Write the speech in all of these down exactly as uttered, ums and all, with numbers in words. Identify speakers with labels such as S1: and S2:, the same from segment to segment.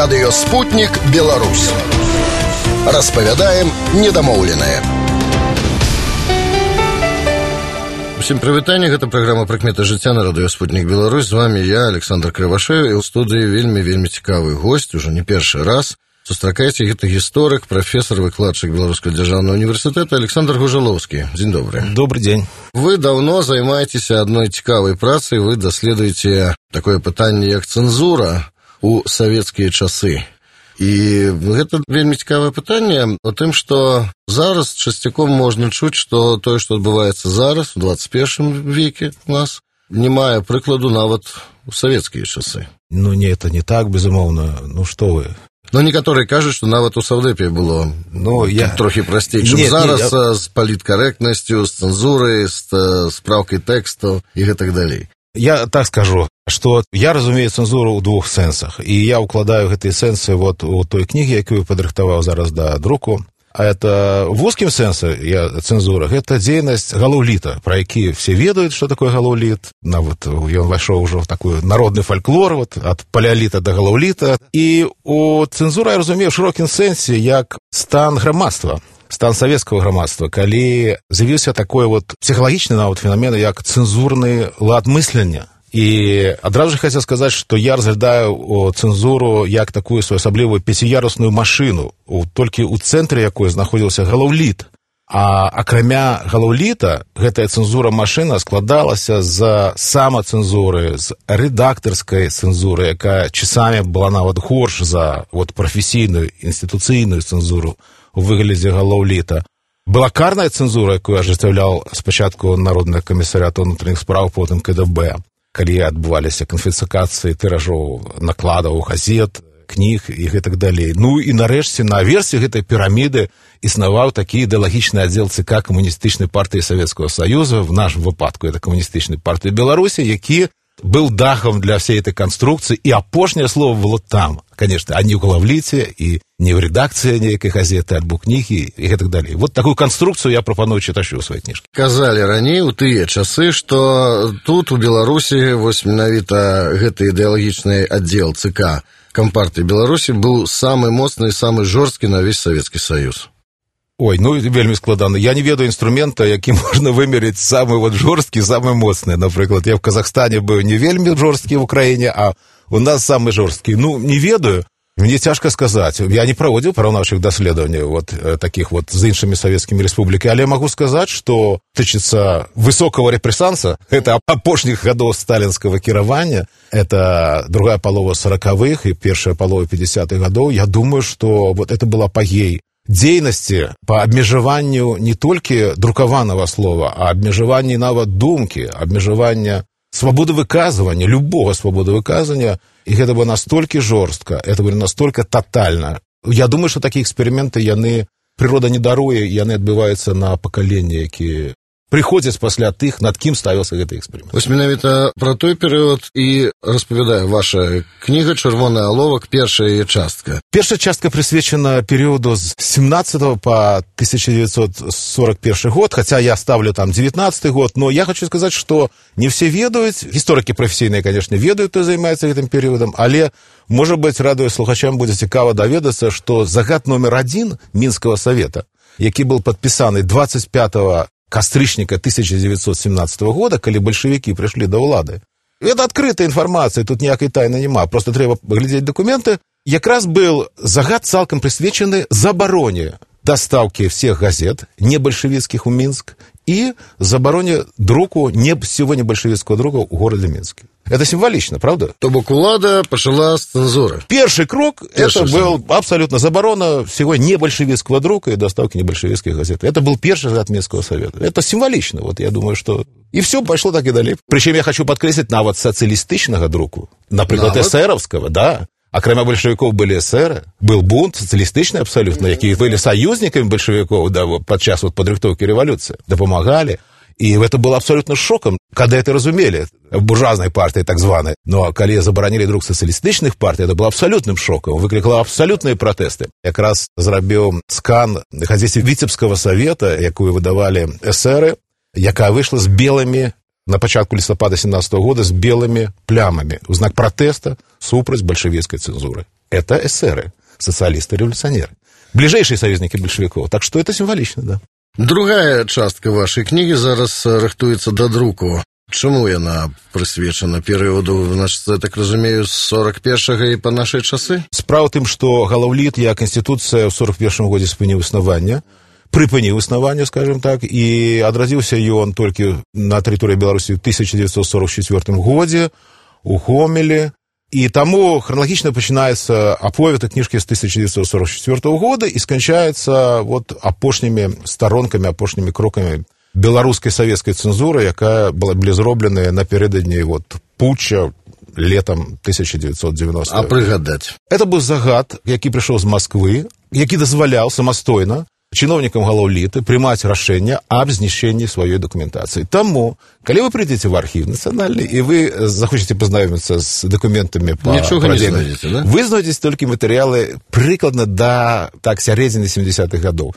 S1: Радыё «Спутнік Беларусь». Распавядаем недамоўленае.
S2: Всем прывітанне, гэта праграма «Прыкметы жыцця» на радыё «Спутнік Беларусь». З вами я, Александр Кривошеев, і ў студыі вельмі-вельмі цікавы госць, уже не першы раз. Сустракайце, гэта гісторык, прафесор, выкладчык Беларускага дзяржаўнага універсітэта Александр Гужалоўскі. Дзень добрый.
S3: Добрый день.
S2: Вы давно займаецеся адной цікавай працай, вы даследуеце такое пытанне, як цэнзура у савецкія часы. І гэта вельмі цікавае пытанне о тым, што зараз часцяком можна чуць, што тое, што адбываецца зараз, у двадцать первом веке у нас, не мае прыкладу нават у савецкія часы.
S3: Ну, не, это не так, безумоўна. Ну, што вы...
S2: Ну, некаторыя кажуць, што нават у Саўдэпе было ну, я... трохі прасцей, чым не, зараз не, я... з паліткарэктнасцю, з цэнзурай, з спраўкай тэкстаў і гэтак далей.
S3: Я так скажу, што я разумею цэнзуру ў двух сэнсах, і я укладаю гэтыя сэнсы вот у той кнігі, якую падрыхтаваў зараз да друку. А это в узкім сэнсе я цэнзура, гэта дзейнасць галаўліта, пра які все ведаюць, што такое галаўліт. Нават ён вайшоў ужо в такой народны фальклор, вот, ад палеаліта да галаўліта. І у цэнзура я разумею ў шырокім сэнсе як стан грамадства, стан савецкага грамадства, калі з'явіўся такой вот псіхалагічны нават феномен, як цэнзурны лад мыслення. І адразу ж хацеў сказаць, што я разглядаю цэнзуру як такую своеасаблівую пяціярусную машыну, толькі ў цэнтры якой знаходзіўся галаўліт. А акрамя галаўліта, гэтая цэнзура-машына складалася з самацэнзуры, з рэдактарскай цэнзуры, якая часамі была нават горш за вот, прафесійную, інстытуцыйную цэнзуру у выглядзе галаўліта. Была карная цэнзура, якую ажыццяўляў спачатку Народны камісарыят унутраных спраў, потым ка дэ бэ. Калі адбываліся канфіскацыі тыражоў, накладаў, газет, кніг і гэтак далей. Ну і нарэшце на версе гэтай піраміды існаваў такі ідэалагічны аддзел ЦК камуністычнай партыі Савецкага Саюза, в нашым выпадку это камуністычнай партыі Беларусі, які был дахом для всей этой конструкции, и апошняе слово было там, конечно, а не ў галаўліце, і не ў рэдакцыі нейкай газеты, альбо кнігі, і гэтак далей. Вот такую конструкцию я прапаную чытачу ў сваёй кніжкі.
S2: Казалі раней у тыя часы, што тут у Беларусі вось менавіта гэты ідэалагічны аддзел ЦК Кампартыі Беларусі быў самы моцны і самы жорсткі на ўвесь Савецкі Саюз.
S3: Ой, ну вельмі складана. Я не ведаю інструмента, які можна вымерыць самы вот жорсткі, самы моцны. Напрыклад, я в Казахстане быў не вельмі жорсткі в Украіне, а у нас самы жорсткі. Ну, не ведаю. Мне цяжка сказаць. Я не праводзіў параўнаўчых даследаванняў вот таких вот з іншымі савецкімі рэспублікамі, але я магу сказаць, што тычыцца высокого рэпрэсанса, это апошніх гадоў сталінскага кіравання, это другая палова сорокавых і першая палова пятидесятых гадоў. Я думаю, што вот это был апагей дзейнасці па абмежаванню не толькі друкаванага слова, а абмежаванні нават думкі, абмежавання свабоды выказвання, любого свабоды выказвання, і гэта было настолькі жорстка, это было настолькі тотальна. Я думаю, што такія эксперыменты, яны, прырода не даруе, яны адбываюцца на пакаленні, якія прыходзяць пасля тых, над кім ставіўся гэты эксперымент.
S2: Вось менавіта пра той перыяд і распавядае ваша кніга «Чырвоны аловак», першая яе частка.
S3: Першая частка прысвечана перыяду з семнадцатого по тысяча девятьсот сорок первый год, хаця я ставлю там девятнадцатый год, но я хочу сказаць, што не все ведаюць, гісторыкі прафесійныя, конечно, ведаюць, хто займаецца гэтым перыядам, але, можа быць, радыёслухачам будзе цікава даведацца, што загад номер адзін Мінскага савета, які быў падпісаны двадцать пятого кастрычніка тысяча девятьсот семнадцатого года, калі бальшавікі прыйшлі да ўлады. Это адкрытая інфармацыя, тут ніякай тайны няма, просто трэба паглядзець дакументы. Якраз был загад цалкам прысвечаны забароне дастаўкі всех газет небальшавіцкіх у Мінск і забароне друку не сёння бальшавіцкага друка ў горадзе Мінске. Это символично, правда?
S2: То бок улада пачала з цэнзуры.
S3: Первый крок, Перший это был сам. абсолютно заборона всего небольшевистского друка и доставки небольшевистских газет. Это был первый загад Минского совета. Это символично, вот я думаю, что... И все пошло так и далее. Причем я хочу подкреслить навод социалистичного друку. Например, эсеровского, да. Акрамя большевиков были эсеры, был бунт социалистичный абсолютно, якія были союзниками большевиков, да, вот, подчас вот подрыхтовки революции, допомагали. И это было абсолютно шоком, когда это разумели, буржуазной партии так званой. Но когда заборонили друг социалистичных партий, это было абсолютным шоком, выкликало абсолютные протесты. Как раз зрабіў скан газеты Витебского совета, якую выдавали эсеры, якая вышла с белыми, на початку листопада семнадцатого года, с белыми плямами, в знак протеста супраць большевистской цензуры. это эсеры, социалисты-революционеры. Ближайшие союзники большевиков. Так что это символично, да.
S2: Другая частка вашай кнігі зараз рыхтуецца да друку. Чаму яна прысвечана перыяду, значит, я так разумею, з сорок першага і па нашай часы?
S3: Справа тым, што галаўліт, як інстытуцыя ў сорок першым годзе спыніў існавання, прыпыніў існаванне, скажем так, і адрадзіўся ён толькі на тэрыторыі Беларусі ў тысяча дзевяцьсот сорок чацвёртым годзе у Гомелі. І таму храналагічна пачынаецца аповед кніжкі з тысяча дзевяцьсот сорок чацвёртага года і сканчаецца вот апошнімі старонкамі, апошнімі крокамі беларускай савецкай цэнзуры, якая была былі зробленая напярэдадні вот путча летом тысяча девятьсот девяностого.
S2: А прыгадаць?
S3: Это быў загад, які прыйшоў з Масквы, які дазваляў самастойна чыноўнікам галаўліты прымаць рашэнне аб знішчэнні сваёй дакументацыі. Таму, калі вы прыйдзеце в архіў нацыянальны і вы захочаце пазнаёміцца з дакументамі па
S2: нічога не знайдзеце, да?
S3: Вы знойдзеце толькі матэрыялы прыкладна да так сярэдзіны семидесятых гадоў.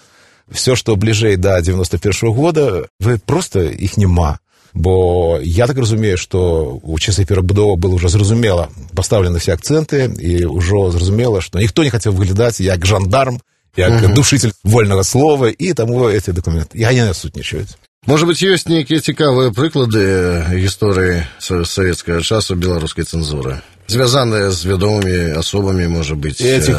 S3: Все, што бліжэй да девяносто первого года, вы просто іх няма. Бо я так разумею, што у часы перабудовы было ўжо зразумела пастаўлены все акцэнты і ўжо зразумела, што ніхто не хацеў выглядаць як жандарм, як uh-huh. душитель вольнага слова, і таму эти документы я не насутнічаюць.
S2: Можа быць, ёсць нейкія цікавыя прыклады гісторыі савецкага часу беларускай цэнзуры, звязаныя з вядомымі асобамі, можа быць,
S3: Этих,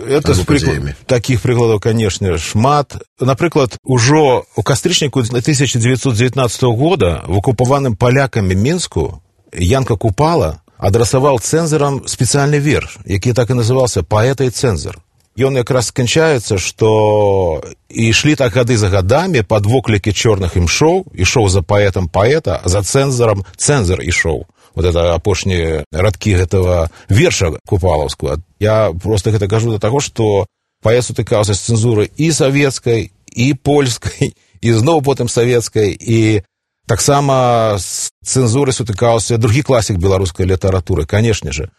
S3: это
S2: падзеямі?
S3: Такіх прыкладаў, канешне, шмат. Напрыклад, ужо ў кастрычніку тысяча дзевяцьсот дзевятнаццатага года в акупаваным палякамі Мінску Янка Купала адрасаваў цэнзарам спецыяльны верш, які так і называўся «Паэта і цэнзар». Ён якраз сканчаецца, што ішлі так гады за гадамі пад воклікі чорных імшоў, ішоў за паэтам паэта, а за цэнзарам цэнзар ішоў. Вот это апошнія радкі гэтага верша купалаўскага. Я просто гэта кажу да таго, што паэт сутыкаўся з цэнзурай і савецкай, і польскай, і зноў потым савецкай, і таксама з цэнзурай сутыкаўся другі класік беларускай літаратуры, канешне же.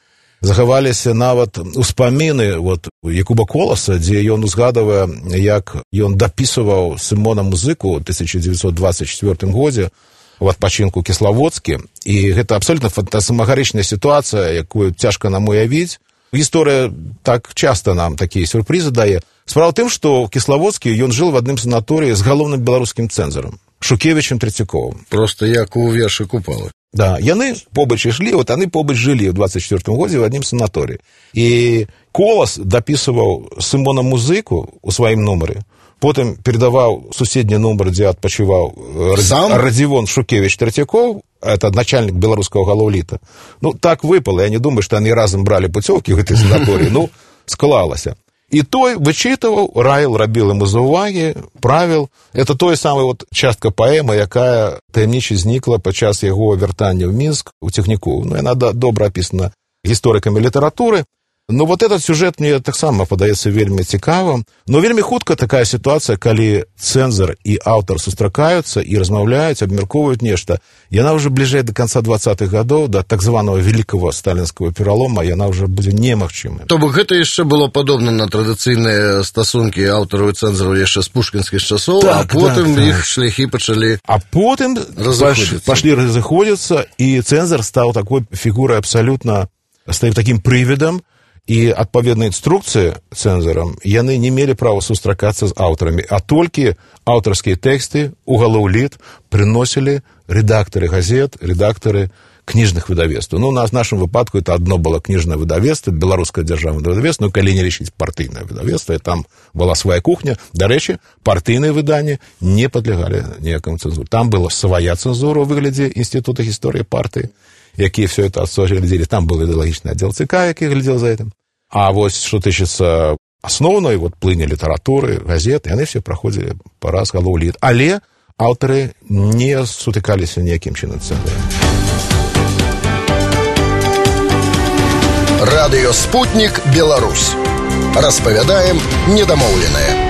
S3: Захаваліся нават успаміны вот, Якуба Коласа, дзе ён узгадывае, як ён дапісваў Сымона Музыку ў тысяча дзевяцьсот двадцать четвёртым годзе в адпачынку Кіславодскі. І гэта абсолютна фантасмагарычная сітуацыя, якую цяжка нам уявіць. Гісторыя так часта нам такія сюрпрызы дае. Справа тым, што Кіславодскі ён жыл в адным санаторыі з галоўным беларускім цэнзарам Шукевічем Трэцяковым.
S2: Просто як у вершы Купалы.
S3: Да, яны побач ішлі, вот яны побач жылі ў двадцать четвёртым годзе в адным санаторыі. І Колас дапісваў Сымона Музыку ў сваім нумары, потым передаваў суседні нумар, дзе адпачываў Радзівон Шукевіч Трэцяков, это начальник беларускага галаўліта. Ну, так выпало, я не думаю, што яны разам бралі пуцёўкі ў гэтай санаторыі, ну, склалася. І той вычытываў, раіл, рабіл ему заўвагі, правіл. Это той самая вот частка паэмы, якая таямніча знікла падчас яго вяртання ў Мінск, у Цягніку. Ну, яна добра апісана гісторыкамі літаратуры. Ну, вот этот сюжет мне таксама падаецца вельмі цікавым. Но вельмі хутка такая сітуацыя, калі цэнзар і аўтар сустракаюцца і размаўляюць, абмяркоўваюць нешта. Яна ўжо бліжэй да канца двадцатых гадоў, да так званого великого сталінскага пералома, яна ўжо будзе немагчымая.
S2: То бок гэта яшчэ было падобна на традыцыйныя стасункі аўтараў і цэнзараў яшчэ з пушкінскіх часоў, так, а потым так, іх так. шляхі пачалі
S3: А потым пашлі разыходзіцца, і цэнзар стаў такой фігурай абсалютна, стаў такім прывідам, і адпаведныя інструкцыі цэнзарам яны не мелі права сустракацца з аўтарамі, а толькі аўтарскія тэксты ў галаўліт прыносілі рэдактары газет, рэдактары кніжных выдавецтваў. Ну, у нас в нашым выпадку это одно было кніжнае выдавецтва, беларускае дзяржаўнае выдавецтва, ну, калі не лічыць партыйнае выдавецтва, там была свая кухня. Дарэчы, партыйныя выданні не падлягалі ніякаму цэнзуру. Там была свая цэнзура ў выглядзе інстытута гісторыі партыі, якія все это глядзелі. Там был ідэалагічны аддзел ЦК, які глядзел за этим. А вось, што тычыцца асноўнай вот, плыні літаратуры, газет, яны все праходзілі параз галаўліт. Але аўтары не сутыкаліся ніякім чынам цэнзарам.
S1: Радыё «Спутнік Беларусь». Распавядаем недамоўленае.